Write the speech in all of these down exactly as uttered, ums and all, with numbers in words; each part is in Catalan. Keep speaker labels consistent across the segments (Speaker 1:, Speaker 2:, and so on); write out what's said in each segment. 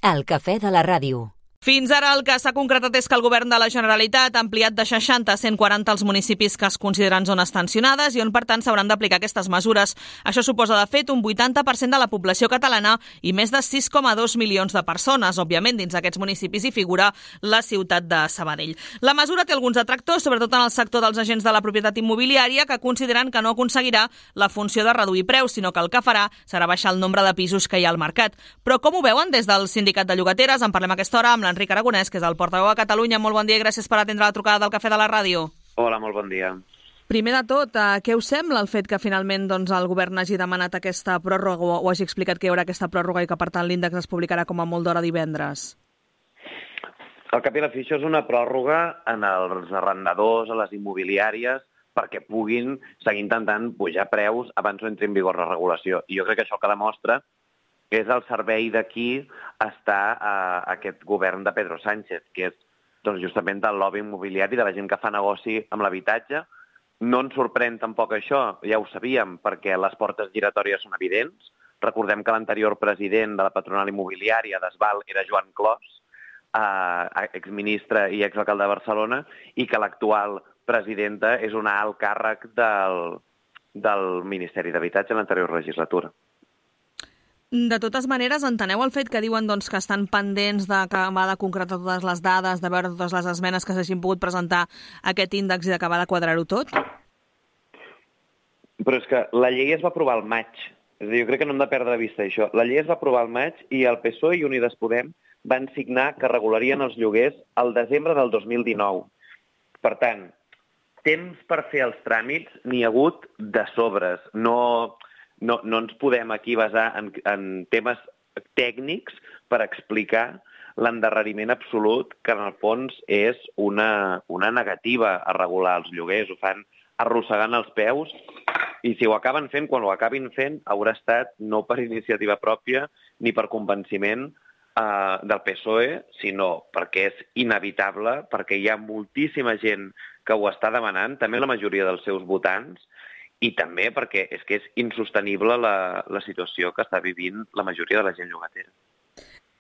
Speaker 1: El cafè de la ràdio.
Speaker 2: Fins ara el que s'ha concretat és que el govern de la Generalitat ha ampliat de seixanta a cent quaranta els municipis que es consideren zones tensionades i on, per tant, s'hauran d'aplicar aquestes mesures. Això suposa, de fet, un vuitanta per cent de la població catalana i més de sis coma dos milions de persones. Òbviament, dins aquests municipis hi figura la ciutat de Sabadell. La mesura té alguns detractors, sobretot en el sector dels agents de la propietat immobiliària, que consideren que no aconseguirà la funció de reduir preus, sinó que el que farà serà baixar el nombre de pisos que hi ha al mercat. Però com ho veuen des del sindicat de llogateres? En parlem a aquesta hora amb l'Enric Aragonès, que és el portaveu a Catalunya. Molt bon dia i gràcies per atendre la trucada del Cafè de la Ràdio.
Speaker 3: Hola, molt bon dia.
Speaker 2: Primer de tot, eh, què us sembla el fet que finalment doncs, el govern hagi demanat aquesta pròrroga o, o hagi explicat que hi haurà aquesta pròrroga i que, per tant, l'índex es publicarà com a molt d'hora divendres?
Speaker 3: Al cap i a la fi, això és una pròrroga en els arrendadors, a les immobiliàries, perquè puguin seguir intentant pujar preus abans no entri en vigor la regulació. I jo crec que això que demostra és el servei d'aquí està a aquest govern de Pedro Sánchez, que és doncs, justament del lobby immobiliari, de la gent que fa negoci amb l'habitatge. No ens sorprèn tampoc això, ja ho sabíem, perquè les portes giratòries són evidents. Recordem que l'anterior president de la patronal immobiliària d'Esval era Joan Clos, eh, exministre i exalcalde de Barcelona, i que l'actual presidenta és una alt càrrec del, del Ministeri d'Habitatge en l'anterior legislatura.
Speaker 2: De totes maneres, enteneu el fet que diuen doncs, que estan pendents d'acabar de concretar totes les dades, de veure totes les esmenes que s'hagin pogut presentar a aquest índex i d'acabar de quadrar-ho tot?
Speaker 3: Però és que la llei es va aprovar al maig. És a dir, jo crec que no hem de perdre de vista això. La llei es va aprovar al maig i el P S O E i Unides Podem van signar que regularien els lloguers al desembre del dos mil dinou. Per tant, temps per fer els tràmits n'hi ha hagut de sobres. No... No, no ens podem aquí basar en, en temes tècnics per explicar l'endarreriment absolut, que en el fons és una, una negativa a regular els lloguers. Ho fan arrossegant els peus i si ho acaben fent, quan ho acabin fent, haurà estat no per iniciativa pròpia ni per convenciment eh, del P S O E, sinó perquè és inevitable, perquè hi ha moltíssima gent que ho està demanant, també la majoria dels seus votants, i també perquè és que és insostenible la, la situació que està vivint la majoria de la gent llogatera.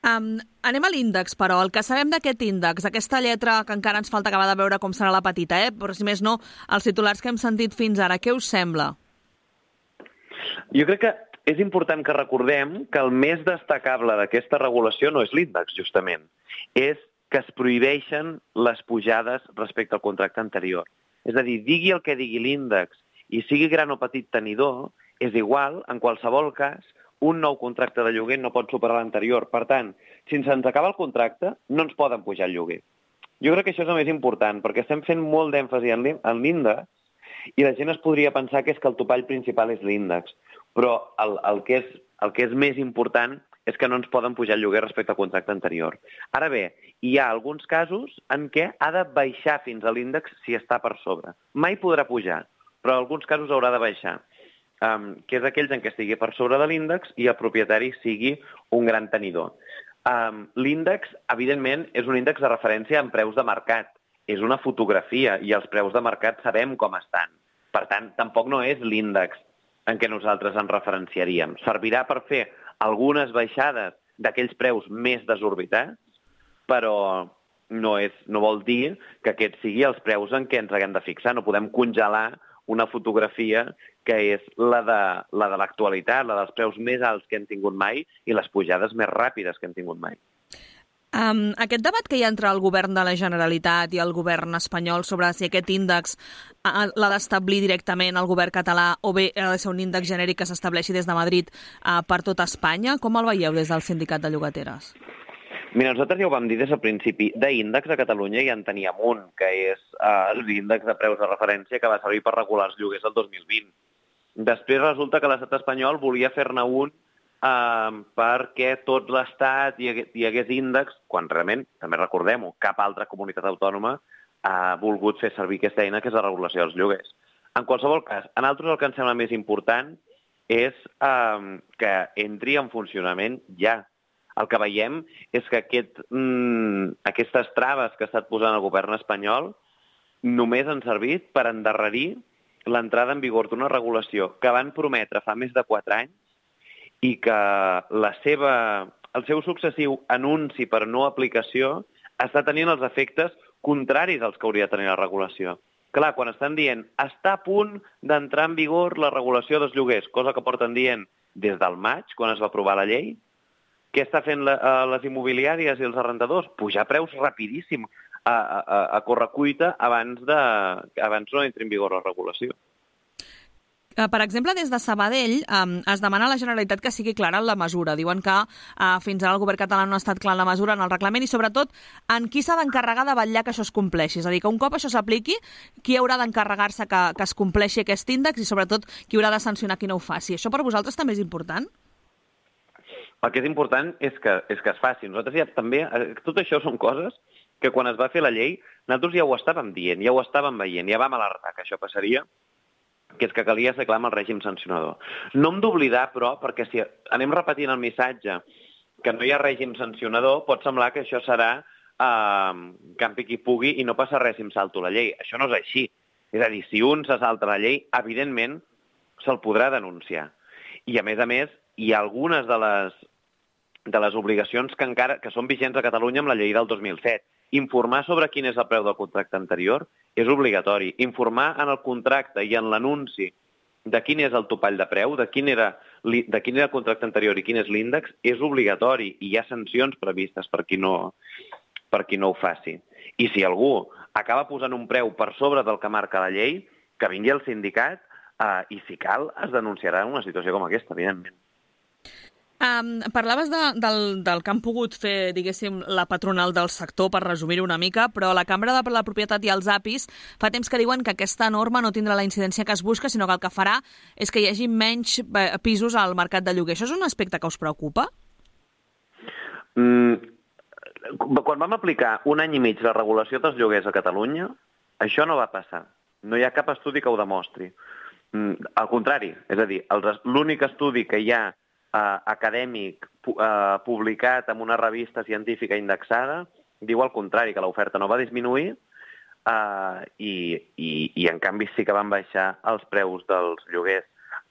Speaker 2: Um, anem a l'índex, però. El que sabem d'aquest índex, aquesta lletra que encara ens falta acabar de veure com serà la petita, eh? Però si més no, els titulars que hem sentit fins ara, què us sembla?
Speaker 3: Jo crec que és important que recordem que el més destacable d'aquesta regulació no és l'índex, justament. És que es prohibeixen les pujades respecte al contracte anterior. És a dir, digui el que digui l'índex, i sigui gran o petit tenidor, és igual, en qualsevol cas, un nou contracte de lloguer no pot superar l'anterior. Per tant, si se'ns acaba el contracte, no ens poden pujar el lloguer. Jo crec que això és el més important, perquè estem fent molt d'èmfasi en l'índex i la gent es podria pensar que és que el topall principal és l'índex. Però el, el, que és, el que és més important és que no ens poden pujar el lloguer respecte al contracte anterior. Ara bé, hi ha alguns casos en què ha de baixar fins a l'índex si està per sobre. Mai podrà pujar, però en alguns casos haurà de baixar, um, que és aquells en què estigui per sobre de l'índex i el propietari sigui un gran tenidor. Um, l'índex, evidentment, és un índex de referència en preus de mercat. És una fotografia i els preus de mercat sabem com estan. Per tant, tampoc no és l'índex en què nosaltres ens referenciaríem. Servirà per fer algunes baixades d'aquells preus més desorbitats, però no, és, no vol dir que aquests siguin els preus en què ens haguem de fixar. No podem congelar una fotografia que és la de la de l'actualitat, la dels preus més alts que hem tingut mai i les pujades més ràpides que hem tingut mai.
Speaker 2: Um, aquest debat que hi ha entre el govern de la Generalitat i el govern espanyol sobre si aquest índex uh, l'ha d'establir directament el govern català o bé ha de ser un índex genèric que s'estableixi des de Madrid uh, per tot Espanya, com el veieu des del sindicat de llogateres?
Speaker 3: Mira, nosaltres ja ho vam dir des del principi. D'índex a Catalunya ja en teníem un, que és eh, l'índex de preus de referència que va servir per regular els lloguers el dos mil vint. Després resulta que l'estat espanyol volia fer-ne un eh, perquè tot l'estat hi, hi hagués índex, quan realment, també recordem-ho, cap altra comunitat autònoma ha volgut fer servir aquesta eina, que és la regulació dels lloguers. En qualsevol cas, a nosaltres el que ens sembla més important és eh, que entri en funcionament ja. El que veiem és que aquest, mm, aquestes traves que ha estat posant el govern espanyol només han servit per endarrerir l'entrada en vigor d'una regulació que van prometre fa més de quatre anys i que la seva el seu successiu anunci per no aplicació està tenint els efectes contraris als que hauria de tenir la regulació. Clar, quan estan dient està a punt d'entrar en vigor la regulació dels lloguers, cosa que porten dient des del maig, quan es va aprovar la llei, què està fent la, a les immobiliàries i els arrendadors? Pujar preus rapidíssim a, a, a correcuita abans, de, abans no entri en vigor la regulació.
Speaker 2: Per exemple, des de Sabadell um, es demana a la Generalitat que sigui clara en la mesura. Diuen que uh, fins ara el govern català no ha estat clar en la mesura, en el reglament, i sobretot en qui s'ha d'encarregar de vetllar que això es compleixi. És a dir, que un cop això s'apliqui, qui haurà d'encarregar-se que, que es compleixi aquest índex i sobretot qui haurà de sancionar qui no ho faci. Això per vosaltres també és important?
Speaker 3: El que és important és que, és que es faci. Nosaltres ja també, tot això són coses que quan es va fer la llei, nosaltres ja ho estàvem dient, ja ho estàvem veient, ja vam alertar que això passaria, que és que calia ser clar amb el règim sancionador. No hem d'oblidar, però, perquè si anem repetint el missatge que no hi ha règim sancionador, pot semblar que això serà eh, campi qui pugui i no passa res si em salto la llei. Això no és així. És a dir, si un se salta la llei, evidentment se'l podrà denunciar. I, a més a més, hi ha algunes de les, de les obligacions que encara que són vigents a Catalunya amb la llei del dos mil set. Informar sobre quin és el preu del contracte anterior és obligatori. Informar en el contracte i en l'anunci de quin és el topall de preu, de quin era, de quin era el contracte anterior i quin és l'índex, és obligatori i hi ha sancions previstes per qui no, per qui no ho faci. I si algú acaba posant un preu per sobre del que marca la llei, que vingui al sindicat eh, i, si cal, es denunciarà una situació com aquesta, evidentment.
Speaker 2: Um, parlaves de, del, del que han pogut fer, diguéssim, la patronal del sector, per resumir-ho una mica, però la Cambra de la Propietat i els A P Is fa temps que diuen que aquesta norma no tindrà la incidència que es busca, sinó que el que farà és que hi hagi menys pisos al mercat de lloguer. Això és un aspecte que us preocupa?
Speaker 3: Mm, quan vam aplicar un any i mig la regulació dels lloguers a Catalunya, això no va passar. No hi ha cap estudi que ho demostri. Mm, al contrari, és a dir, l'únic estudi que hi ha Uh, acadèmic uh, publicat en una revista científica indexada diu al contrari, que l'oferta no va disminuir uh, i, i, i en canvi sí que van baixar els preus dels lloguers.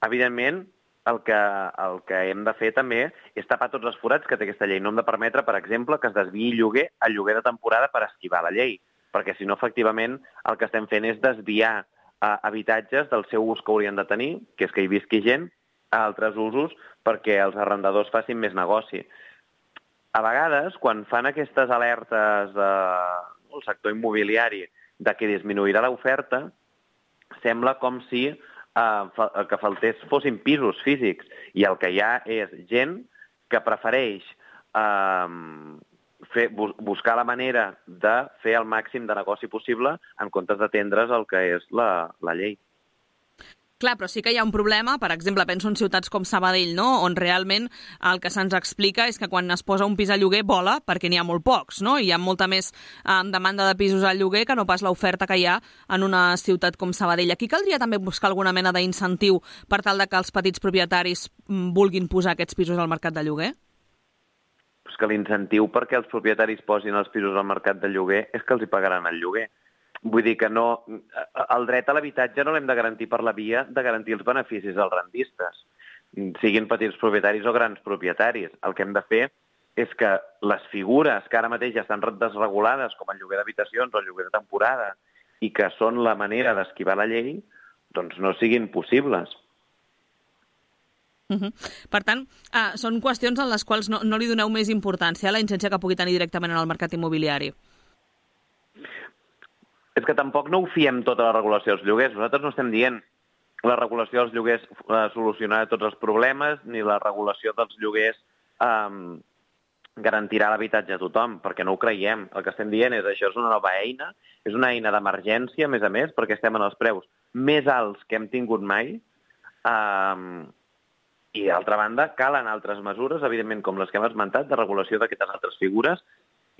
Speaker 3: Evidentment, el que, el que hem de fer també és tapar tots els forats que té aquesta llei. No hem de permetre, per exemple, que es desviï lloguer a lloguer de temporada per esquivar la llei, perquè si no, efectivament, el que estem fent és desviar uh, habitatges del seu ús que haurien de tenir, que és que hi visqui gent, a altres usos perquè els arrendadors facin més negoci. A vegades, quan fan aquestes alertes del eh, sector immobiliari de que disminuirà l'oferta, sembla com si eh, fa, que faltés fossin pisos físics i el que hi ha és gent que prefereix eh, fer, bus, buscar la manera de fer el màxim de negoci possible en comptes d'atendre's el que és la, la llei.
Speaker 2: Clar, però sí que hi ha un problema, per exemple, penso en ciutats com Sabadell, no?, on realment el que se'ns explica és que quan es posa un pis a lloguer vola, perquè n'hi ha molt pocs, no? Hi ha molta més eh, demanda de pisos al lloguer que no pas l'oferta que hi ha en una ciutat com Sabadell. Aquí caldria també buscar alguna mena d'incentiu per tal de que els petits propietaris vulguin posar aquests pisos al mercat de lloguer?
Speaker 3: Pues que l'incentiu perquè els propietaris posin els pisos al mercat de lloguer és que els hi pagaran el lloguer. Vull dir que no, el dret a l'habitatge no l'hem de garantir per la via de garantir els beneficis als rendistes, siguin petits propietaris o grans propietaris. El que hem de fer és que les figures que ara mateix ja estan desregulades, com el lloguer d'habitacions o el lloguer de temporada, i que són la manera d'esquivar la llei, doncs no siguin possibles.
Speaker 2: Uh-huh. Per tant, uh, són qüestions en les quals no, no li doneu més importància a la incidència que pugui tenir directament en el mercat immobiliari.
Speaker 3: És que tampoc no ho fiem tota la regulació dels lloguers. Nosaltres no estem dient la regulació dels lloguers eh, solucionarà tots els problemes, ni la regulació dels lloguers eh, garantirà l'habitatge a tothom, perquè no ho creiem. El que estem dient és que això és una nova eina, és una eina d'emergència, a més a més, perquè estem en els preus més alts que hem tingut mai, eh, i d'altra banda calen altres mesures, evidentment com les que hem esmentat, de regulació d'aquestes altres figures,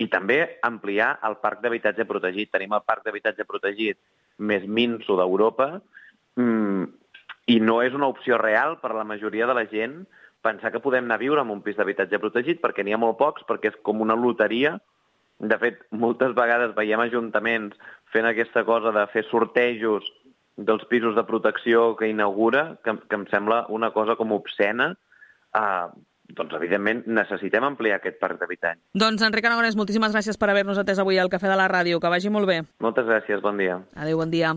Speaker 3: i també ampliar el parc d'habitatge protegit. Tenim el parc d'habitatge protegit més minso d'Europa mm, i no és una opció real per a la majoria de la gent pensar que podem anar a viure en un pis d'habitatge protegit perquè n'hi ha molt pocs, perquè és com una loteria. De fet, moltes vegades veiem ajuntaments fent aquesta cosa de fer sortejos dels pisos de protecció que inaugura, que, que em sembla una cosa com obscena. Uh, doncs, evidentment, necessitem ampliar aquest parc d'habitatge.
Speaker 2: Doncs, Enric Aragonès, moltíssimes gràcies per haver-nos atès avui al Cafè de la Ràdio. Que vagi molt bé.
Speaker 3: Moltes gràcies, bon dia.
Speaker 2: Adéu, bon dia.